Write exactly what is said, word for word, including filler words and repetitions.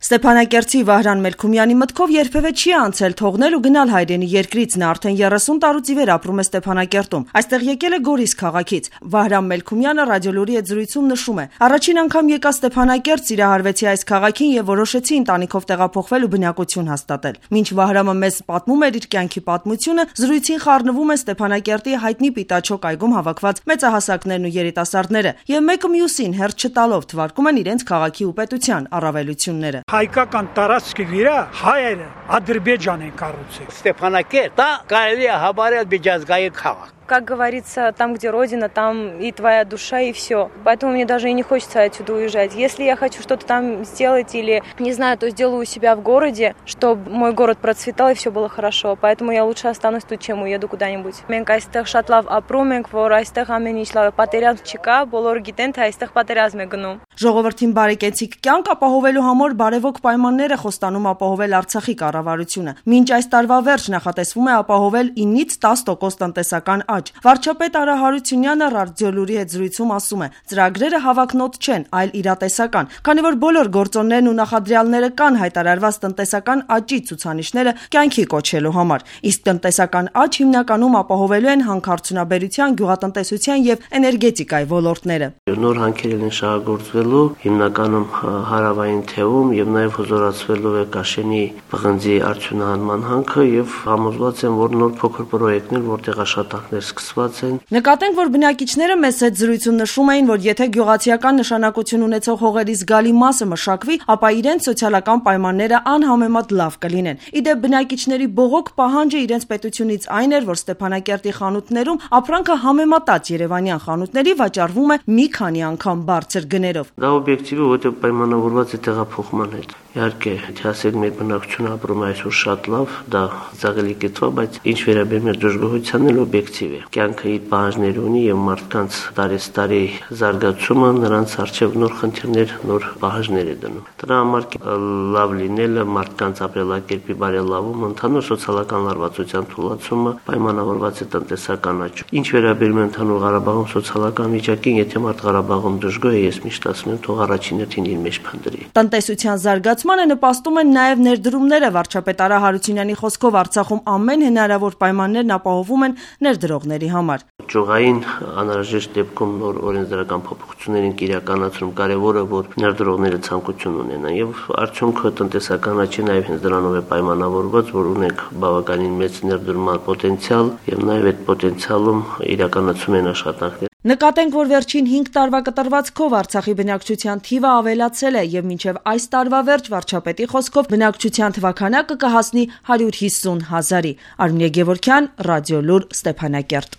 Ստեփանակերտի Վահրամ Մելքումյանի մտքով երբևէ չի անցել թողնել ու գնալ հայրենի երկրից, նա արդեն երեսուն տարուց ի վեր ապրում է Ստեփանակերտում, այստեղ եկել է Գորիս քաղաքից։ Վահրամ Մելքումյանը Ռադիոլուրի հետ զրույցում նշում է. առաջին անգամ եկա Ստեփանակերտ, սիրահարվեցի այս քաղաքին եւ որոշեցի ընտանիքով տեղափոխվել ու բնակություն հաստատել։ Մինչ Վահրամը մեզ պատմում էր իր կյանքի պատմությունը, զրույցին խառնվում է Ստեփանակերտի հայտնի Պիտաչոկ այգում հավաքված մեծահասակներն ու երիտասարդները եւ մեկը մյուսին հերթ չտալով թվարկում են իրենց քաղաքի ու պետության առավելությունները։ Հայկական տարածքի վրա հայերը Ադրբեջան են կառուցել։ Ստեփանակերտը կարելի է հավարել միջազգային քաղաք։ Как говорится, там, где родина, там и твоя душа, и все. Поэтому мне даже и не хочется отсюда уезжать. Если я хочу что-то там сделать или, не знаю, то сделаю у себя в городе, чтобы мой город процветал и все было хорошо. Поэтому я лучше останусь тут, чем уеду куда-нибудь. Մենք այստեղ շատ լավ ապրում ենք, որ այստեղ ամեն ինչ լավ է, պատերազմ չկա, բոլորը գիտեն, թե այստեղ պատերազմ է գնում։ Ժողովրդին բարեկեցիկ կյանք ապահովելու համար բարևոք պայմաններ է խոստանում ապահովել Արցախի կառավարությունը։ Մինչ այս տարվա վերջ նախատեսվում է ապահովել ինից տաս տոկոս տնտեսական աճ։ Վարչապետ Արա Հարությունյանը Ռադիոլուրի հետ զրույցում ասում է. ծրագրերը հավակնոտ չեն, այլ իրատեսական, քանի որ բոլոր գործոններն ու նախադրյալները կան հայտարարված տնտեսական աճի ցուցանիշները կյանքի կոչելու համար։ Իսկ տնտեսական աճ հիմնականում ապահովելու են հանքարդյունաբերության, գյուղատնտեսության եւ էներգետիկայի ոլորտները։ Նոր հանքեր են շահագործվելու հիմնականում հարավային թևում եւ նաեւ հզորացվելու է Կաշենի պղնձի արդյունահանման հանքը եւ համոզված եմ, որ նոր փոքր պրոյեկտներ, որտեղ աշխատանքներ սկսված են։ Նկատենք, որ բնակիչները մեծ հետ զրույցում նշում էին, որ եթե գյուղացիական նշանակություն ունեցող հողերի զգալի մասը մշակվի, ապա իրենց սոցիալական պայմանները անհամեմատ լավ կլինեն։ Իդեպ բնակիչների բողոք պահանջը իրենց պետությունից այն էր, որ Ստեփանակերտի խանութներում ապրանքը համեմատած երևանյան խանութների վաճառվում է մի քանի անգամ բարձր գներով։ Դա օբյեկտիվ է, որտեղ պայմանավորված է տեղափոխման հետ։ Իհարկե, եթե ասենք մեր բնակչությունը ապրում է այսօր շատ լավ, դա ծաղելի կետվա, բայց ինչ վերաբերում է դժգոհությանն էլ օբյեկտիվ է։ Կյանքը իր պահանջներ ունի եւ մարդկանց տարեստարի զարգացումը նրանց առջեւ նոր խնդիրներ, նոր պահանջներ է դնում։ Դրա համար լավ լինելը, մարդկանց ապրելակերպի բարելավումը, ընդհանուր սոցիալական լարվածության թույլատումը պայմանավորված է տնտեսական աճով։ Ինչ վերաբերում է ընդհանուր Ղարաբաղում սոցիալական վիճակին, եթե մարդ Ղարաբաղում դժգոհ է, ես միշտ ասում եմ, թող առաջին հերթին իր մեջ փնտրի։ Տնտեսության զարգացմանը նպաստում են նաեւ ներդրումները։ Վարչապետ Արա Հարությունյանի խոսքով Արցախում ամեն հնարավոր պայմաններն ապահովում են ներդրողների համար։ Ճյուղային անհրաժեշտ դեպքում նոր օրենսդրական փոփոխություններ են իրականացնում, կարևորը որ ներդրողները ցանկություն ունենան եւ արդյունքը տնտեսական աճի նաեւ հենց դրանով է պայմանավորված, որ ունենք բավականին մեծ ներդրման պոտենցիալ եւ նաեւ այդ պոտենցիալում իրականացում են աշխատանքներ։ Նկատենք, որ վերջին հինգ տարվա կտրվածքով Արցախի բնակչության թիվը ավելացել է եւ մինչեւ այս տարվա վերջ վարչապետի խոսքով բնակչության թվաքանակը կհասնի հարյուր հիսուն հազարի։ Արմինե Գևորգյան, Ռադիոլուր, Ստեփանակերտ։